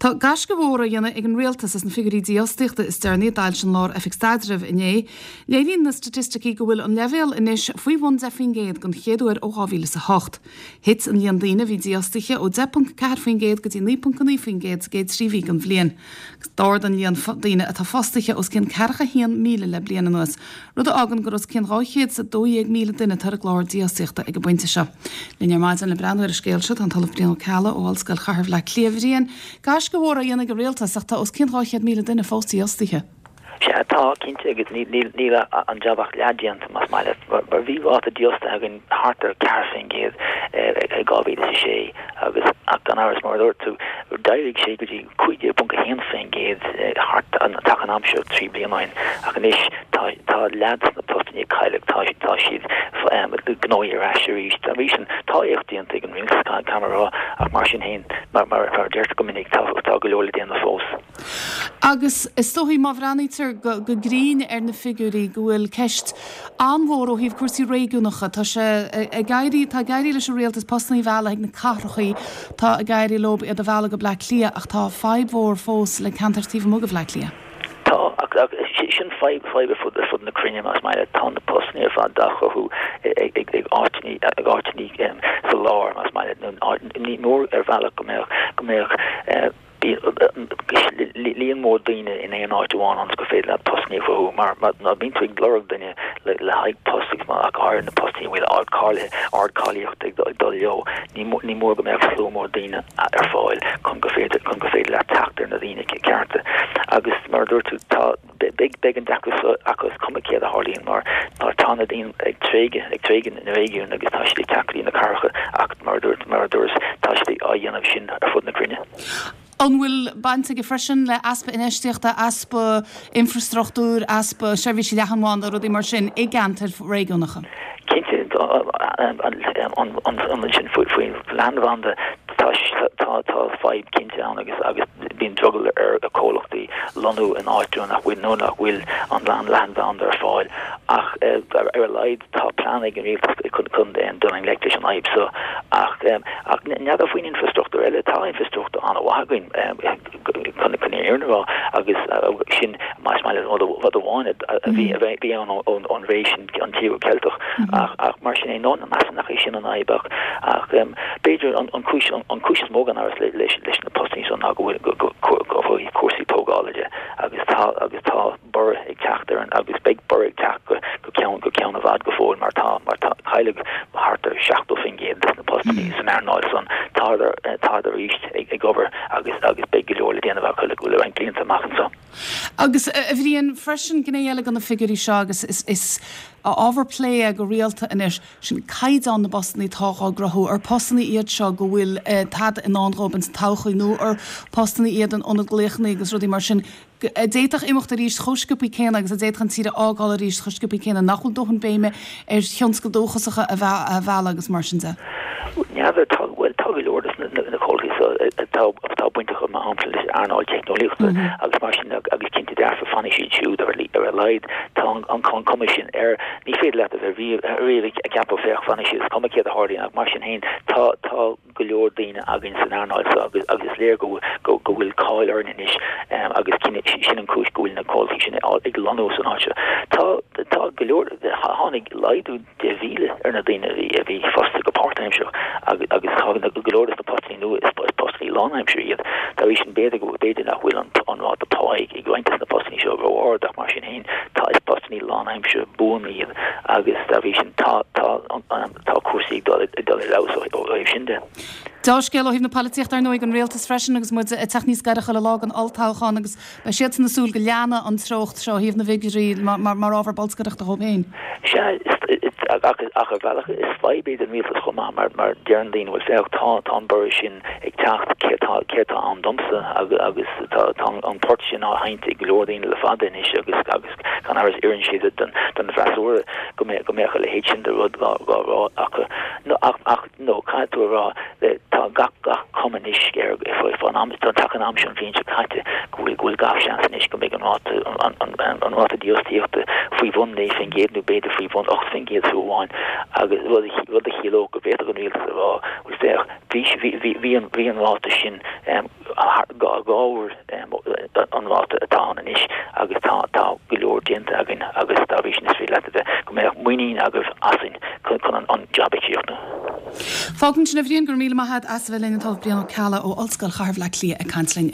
Tá gaisce mhór á dhéanamh ag an Rialtas as na figiúirí dífhostaíochta is deireanaí a d'fhoilsigh an Lár-Oifig Staidrimh inné. Léiríonn na staitisticí go bhfuil an leibhéal anois faoi bhun 10% den chéad uair ó 2008. Thit an líon daoine a bhí dífhostaithe ó 10.4% go dtí 9.9% sa gcéad 3 mhí den bhliain. D'ardaigh an líon daoine atá fostaithe os cionn 41,000 le bliain anuas, rud a fhágann gur os cionn 212,000 duine atá ar an gclár dífhostaíochta ag an bpointe seo. Linn ar maidin le breathnú ar an scéal seo tá an tOllamh Brian Ó Ceallaigh ó Ollscoil Chathair Bhaile Átha Cliath. A Bhriain, gaisce mhór á dhéanamh ag an rialtas ach tá os cionn 200,000 duine fós dífhostaithe. Sea, tá, cinnte, agus níl an jab ach leath déanta, más maith leat, mar bhí ráta dífhostaithe againn thart ar 4% i 2006 agus, ach gan amhras, mar a dúirt tú, d'éirigh sé go dtí 15.1% thart an taca an am seo 3 bliana ó shin, ach anois tá tá leath de na postanna a cailleadh, tá tá siad gnóthaithe ar ais arís. Dá bhrí sin, tá éacht déanta ag an rialtas, caithfidh mé a rá, ach mar sin féin, mar mar a deirtear go minic, tá tá go leor le déanamh fós. Agus is dóichí, má bhreathnaítear go go grinn ar na figiúirí, go bhfuil ceist an-mhór ó thaobh cúrsaí réigiúnacha. Tá sé ag éirí, tá ag éirí leis an rialtas postanna a mhealladh chuig na cathrachaí, tá ag éirí leo iad a mhealladh go Bleá Cliath ach tá fadhb mhór fós le ceantair taobh amuigh de Bhleá Cliath. Tá, ach sin fadhb, fadhb ar fud, ar fud na cruinne más maith leat. Tá na postanna ar fad á chruthú ag, ag, ag áiteanna, ag áiteanna sa lár más maith leat, nó ní mór ar bhealach go mbeadh, go mbeadh, líon mór daoine in aon áit amháin ionas gur féidir leat postanna a chruthú mar má bhíonn tú ag lorg duine le haghaidh post agus ach go háirithe na postanna a bhfuil ardcháilíocht ag dul leo, ní mór go mbeadh slua mór daoine ar fáil chun gur féidir chun gur féidir leat teacht ar na daoine cearta. Agus mar a dúirt tú, tá beidh beidh an deacracht seo acu is cuma céard a tharlaíonn mar mar tá na daoine ag tréigean ag tréigean na réigiún agus tá siad ag teacht go dtí na cathracha ach mar a dúirt mar a dúras tá siad á dhéanamh sin ar fud na cruinne. An bhfuil baint aige freisin le easpa infheistíochta, easpa infreastruchtúir, easpa seirbhísí leathanbhanda, rudaí mar sin i gceantair réigiúnacha? Cinnte, an sin faoin leathanbhanda tá tá tá fadhb cinnte ann agus agus bíonn drogall ar chomhlachtaí lonnú in áiteanna nach bhfuil nó nach bhfuil an leathanbhanda ar fáil ach ar a laghad tá plean ag an rialtas chun chun dul i ngleic leis an fhadhb seo ach ach n'fheadar faoin infreastruchtúr eile tá infreastruchtúr an-mhaith againn chun chun an fhírinne a rá agus sin más maith leat rud amháin a bhí a bhí ann ón ré sin an Tíogar Ceilteach ach ach mar sin é nó measaim nach é sin an fhadhb ach ach b'fhéidir an chúis an chúis is mó gan amhras leis leis na postanna seo ná go bhfuil go go bhfuil cúrsaí tógála de agus tá agus tá borradh ag teacht ar an agus beidh borradh ag teacht go go ceann go ceann i bhfad go fóill mar tá mar tá cailleadh thart ar 70% de na postanna san earnáil san tádar tádar arís ag ag obair agus agus beidh go leor le déanamh acu le le roinnt blianta amach anseo. Agus, a Bhriain, freisin, gné eile de na figiúirí seo agus is is ábhar plé é go rialta anois, sin caighdeán na bpostanna atá á gcruthú. Ar postanna iad seo go bhfuil tada i ndán dhóibh ins an todhchaí nó ar postanna iad in ionad glaochanna agus rudaí mar sin a d'fhéadfadh imeacht arís chomh sciobthaí céanna agus a d'fhéadfadh an tír a fhágáil arís chomh sciobthaí céanna, nach bhfuil dóthain béime ar thionscail dúchasacha a mhealladh agus mar sin de. N'fheadar, tá, bhuel, tá go leor de na comhlachtaí seo atá, atá bainteach mar shampla leis an earnáil teicneolaíochta agus mar sin agus cinnte dearfa fanfaidh siad siúd ar a laghad. Tá an, an cuma sin air. Ní féidir leat a bheith riamh, riamh ag ceapadh féach fanfaidh siad is cuma céard a tharlaíonn ach mar sin féin tá, tá go leor daoine againn san earnáil seo agus, agus is léir go, go, go bhfuil cáil orainn anois agus sin an chúis go bhfuil na comhlachtaí sin ag lonnú san áit seo. Tá, tá go leor, tháinig laghdú 10,000 ar na daoine a bhí fostaithe go páirtaimseartha agus agus tá go leor de na postanna nua is postanna lánaimseartha iad. Dá bhrí sin b'fhéidir go b'fhéidir nach bhfuil an an ráta pá ag roinnt de na postanna seo ró-ard ach mar sin féin tá is postanna lánaimseartha buan iad agus dá bhrí sin tá tá tá cúrsaí ag dul ag dul ar fheabhas ó thaobh sin de. Deá-scéal ó thaobh na polaitíochta ar ndóigh don rialtas freisin agus muid ag teacht níos gaire chuile lá don olltoghchán agus Beidh siadsan ag súil go leanfaidh an treocht seo ó thaobh na bhfigiúirí mar ábhar bolscaireachta dhóibh féin. Sea, ach ar bhealach is fadhb é don rialtas chomh maith mar deireann daoine, bhuel féach, tá an borradh sin ag teacht, céard tá ann domsa agus tá an port sin á sheinnt ag go leor daoine le fada anois agus gan amhras oireann sé don bhfreasúra go mbeadh a leithéid sin de rud á rá acu. Ach nó caithfidh tú a rá, tá gach gach cuma anois air fán am, tá an am seo an bhliain seo caite, go bhfuil go bhfuil gach seans anois go mbeidh an ráta an an an ráta dífhostaíochta faoi bhun 9% nó b'fhéidir faoi bhun 8% fiú amháin agus rud a rud a chiallódh go bhféadfadh an rialtas a rá, bhuel. Féach, bhí, bhí, bhí an, bhí an ráta sin dhá uair an ráta atá ann anois agus tá, tá go leor déanta againn agus dá bhrí sin is féidir leat a bheith, go mbeadh muinín agaibh asainn chun an, an jab a chríochnú. Fágfaimid ansin é a Bhriain, go raibh míle maith agat as a bheith linn, an tOllamh Brian Ó Ceallaigh ó Ollscoil Chathair Bhaile Átha Cliath ag caint linn.